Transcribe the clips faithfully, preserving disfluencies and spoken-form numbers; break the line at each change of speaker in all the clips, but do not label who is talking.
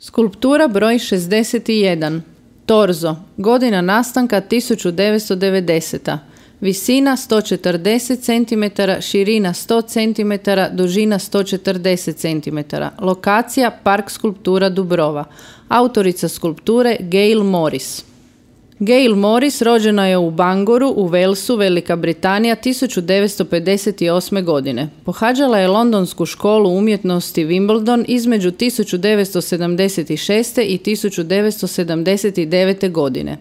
Skulptura broj šezdeset jedan. Torzo. Godina nastanka tisuću devetsto devedeseta. Visina sto četrdeset centimetara, širina sto centimetara, dužina sto četrdeset centimetara. Lokacija Park skulptura Dubrova. Autorica skulpture Gail Morris. Gail Morris rođena je u Bangoru u Walesu, Velika Britanija, tisuću devetsto pedeset osme. godine. Pohađala je Londonsku školu umjetnosti Wimbledon između tisuću devetsto sedamdeset šeste. i tisuću devetsto sedamdeset devete. godine.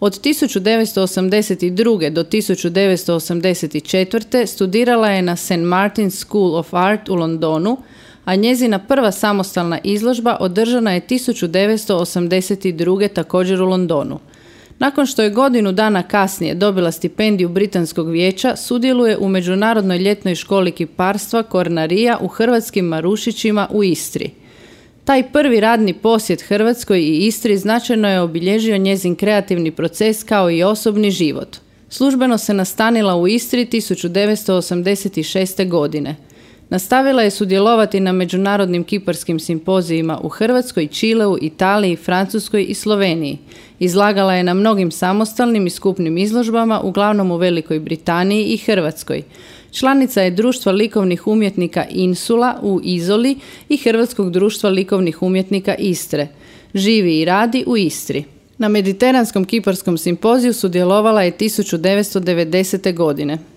Od tisuću devetsto osamdeset druge. do tisuću devetsto osamdeset četvrte. studirala je na Saint Martin's School of Art u Londonu, a njezina prva samostalna izložba održana je tisuću devetsto osamdeset druge. također u Londonu. Nakon što je godinu dana kasnije dobila stipendiju Britanskog vijeća, sudjeluje u Međunarodnoj ljetnoj školi kiparstva Kornarija u Hrvatskim Marušićima u Istri. Taj prvi radni posjet Hrvatskoj i Istri značajno je obilježio njezin kreativni proces kao i osobni život. Službeno se nastanila u Istri tisuću devetsto osamdeset šeste. godine. Nastavila je sudjelovati na međunarodnim kiparskim simpozijima u Hrvatskoj, Čileu, Italiji, Francuskoj i Sloveniji. Izlagala je na mnogim samostalnim i skupnim izložbama, uglavnom u Velikoj Britaniji i Hrvatskoj. Članica je Društva likovnih umjetnika Insula u Izoli i Hrvatskog društva likovnih umjetnika Istre. Živi i radi u Istri. Na Mediteranskom kiparskom simpoziju sudjelovala je tisuću devetsto devedesete. godine.